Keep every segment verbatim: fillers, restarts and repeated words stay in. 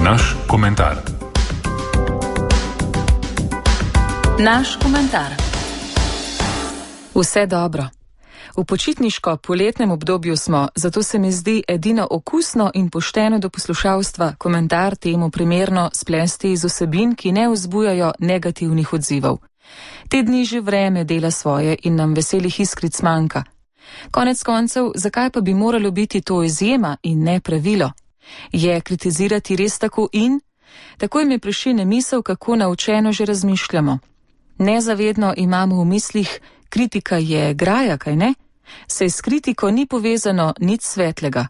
Naš komentar. Naš komentar. Vse dobro. V počitniško-poletnem obdobju smo, zato se mi zdi edino okusno in pošteno do poslušalstva komentar temu primerno splesti iz vsebin, ki ne vzbujajo negativnih odzivov. Te dni že vreme dela svoje in nam veselih iskric manjka. Konec koncev, zakaj pa bi moralo biti to izjema in ne pravilo? Je kritizirati res tako in? Takoj mi prešine misel, kako naučeno že razmišljamo. Nezavedno imamo v mislih, kritika je graja, kaj ne? Saj s kritiko ni povezano nič svetlega.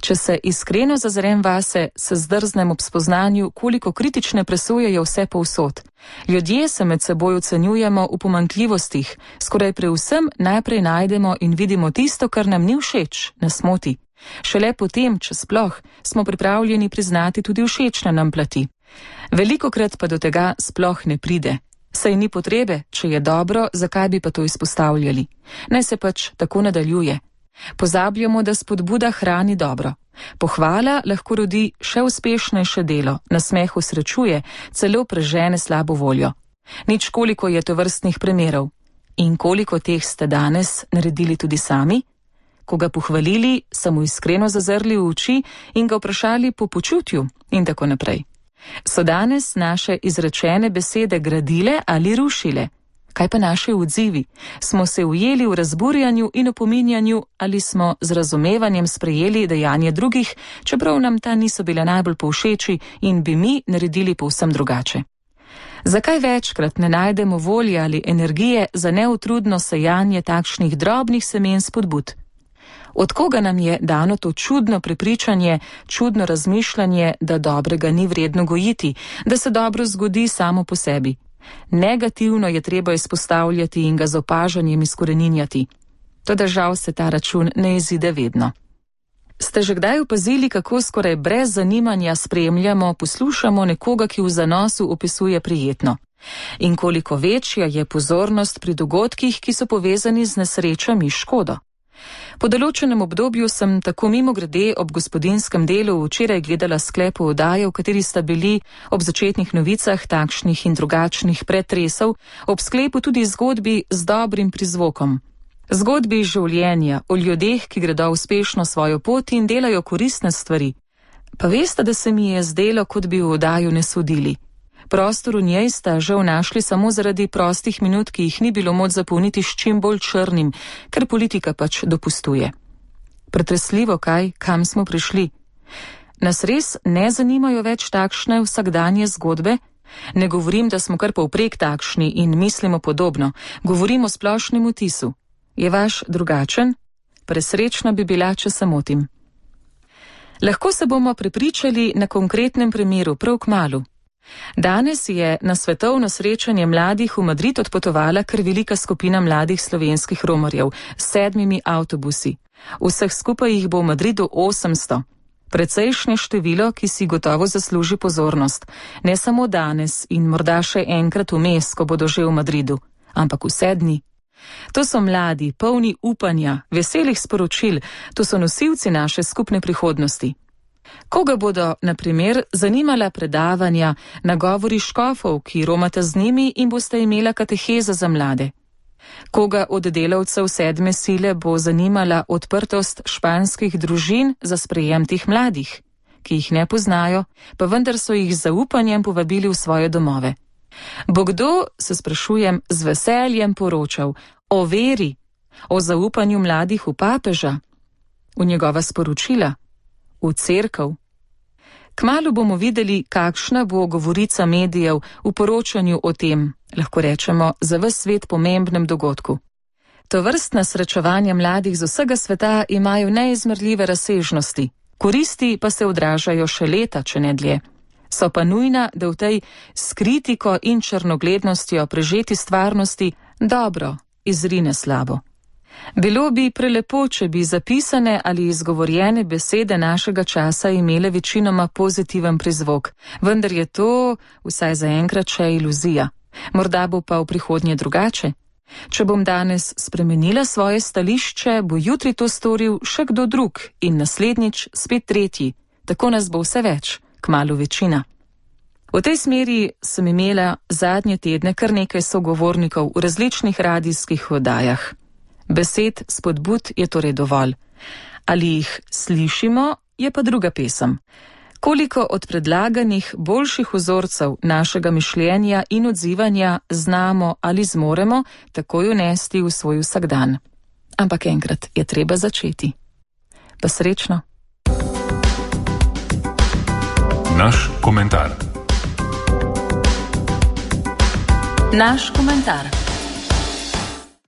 Če se iskreno zazrem vase, se zdrznem ob spoznanju, koliko kritične presoje je vse povsod. Ljudje se med seboj ocenjujemo v pomanjkljivostih, skoraj pri vsem najprej najdemo in vidimo tisto, kar nam ni všeč, nas moti. Šele potem, če sploh, smo pripravljeni priznati tudi všečne nam plati. Velikokrat pa do tega sploh ne pride. Saj ni potrebe, če je dobro, zakaj bi pa to izpostavljali? Naj se pač tako nadaljuje. Pozabljamo, da spodbuda hrani dobro. Pohvala lahko rodi še uspešnejše delo, nasmeh usrečuje, celo prežene slabo voljo. Nič koliko je tovrstnih primerov. In koliko teh ste danes naredili tudi sami? Ko ga pohvalili, so mu iskreno zazrli v oči in ga vprašali po počutju in tako naprej. So danes naše izrečene besede gradile ali rušile? Kaj pa naši odzivi? Smo se ujeli v razburjanju in opominjanju ali smo z razumevanjem sprejeli dejanje drugih, čeprav nam ta niso bile najbolj povšeči in bi mi naredili povsem drugače? Zakaj večkrat ne najdemo volje ali energije za neutrudno sejanje takšnih drobnih semen spodbud? Od koga nam je dano to čudno prepričanje, čudno razmišljanje, da dobrega ni vredno gojiti, da se dobro zgodi samo po sebi? Negativno je treba izpostavljati in ga z opažanjem izkoreninjati. Toda žal se ta račun ne izide vedno. Ste že kdaj opazili, kako skoraj brez zanimanja spremljamo, poslušamo nekoga, ki v zanosu opisuje prijetno? In koliko večja je pozornost pri dogodkih, ki so povezani z nesrečami, škodo? Po določenem obdobju sem tako mimogrede ob gospodinskem delu včeraj gledala sklep oddaje, v kateri sta bili ob začetnih novicah takšnih in drugačnih pretresov, ob sklepu tudi zgodbi z dobrim prizvokom. Zgodbi življenja o ljudeh, ki gredo uspešno svojo pot in delajo koristne stvari. Pa veste, da se mi je zdelo, kot bi v oddajo ne sodili. Prostor v njej sta žal našli samo zaradi prostih minut, ki jih ni bilo moč zapolniti s čim bolj črnim, ker politika pač dopustuje. Pretresljivo kaj, kam smo prišli? Nas res ne zanimajo več takšne vsakdanje zgodbe? Ne govorim, da smo kar povprek takšni in mislimo podobno, govorim o splošnem vtisu. Je vaš drugačen? Presrečna bi bila, če se motim. Lahko se bomo prepričali na konkretnem primeru prav kmalu. Danes je na svetovno srečanje mladih v Madrid odpotovala kar velika skupina mladih slovenskih romarjev s sedmimi avtobusi. Vseh skupaj jih bo v Madridu osemsto. Precejšnje število, ki si gotovo zasluži pozornost. Ne samo danes in morda še enkrat vmes, ko bodo že v Madridu, ampak vse dni. To so mladi, polni upanja, veselih sporočil, to so nosilci naše skupne prihodnosti. Koga bodo, na primer, zanimala predavanja, nagovori škofov, ki romate z njimi in boste imela kateheza za mlade? Koga od delavcev sedme sile bo zanimala odprtost španskih družin za sprejem teh mladih, ki jih ne poznajo, pa vendar so jih z zaupanjem povabili v svoje domove? Bo kdo, se sprašujem, z veseljem poročal o veri, o zaupanju mladih v papeža, v njegova sporočila? V cerkev. Kmalu bomo videli, kakšna bo govorica medijev v poročanju o tem, lahko rečemo, za ves svet pomembnem dogodku. Tovrstna srečevanja mladih z vsega sveta imajo neizmerljive razsežnosti, koristi pa se odražajo še leta, če ne dlje. So pa nujna, da v tej s kritiko in črnoglednostjo prežeti stvarnosti dobro izrine slabo. Bilo bi prelepo, če bi zapisane ali izgovorjene besede našega časa imele večinoma pozitiven prizvok, vendar je to vsaj zaenkrat še iluzija. Morda bo pa v prihodnje drugače. Če bom danes spremenila svoje stališče, bo jutri to storil še kdo drug in naslednjič spet tretji. Tako nas bo vse več, kmalu večina. V tej smeri sem imela zadnje tedne kar nekaj sogovornikov v različnih radijskih oddajah. Besed spodbud je torej dovolj. Ali jih slišimo, je pa druga pesem. Koliko od predlaganih boljših vzorcev našega mišljenja in odzivanja znamo ali zmoremo takoj unesti v svoj vsakdan. Ampak enkrat je treba začeti. Pa srečno. Naš komentar. Naš komentar.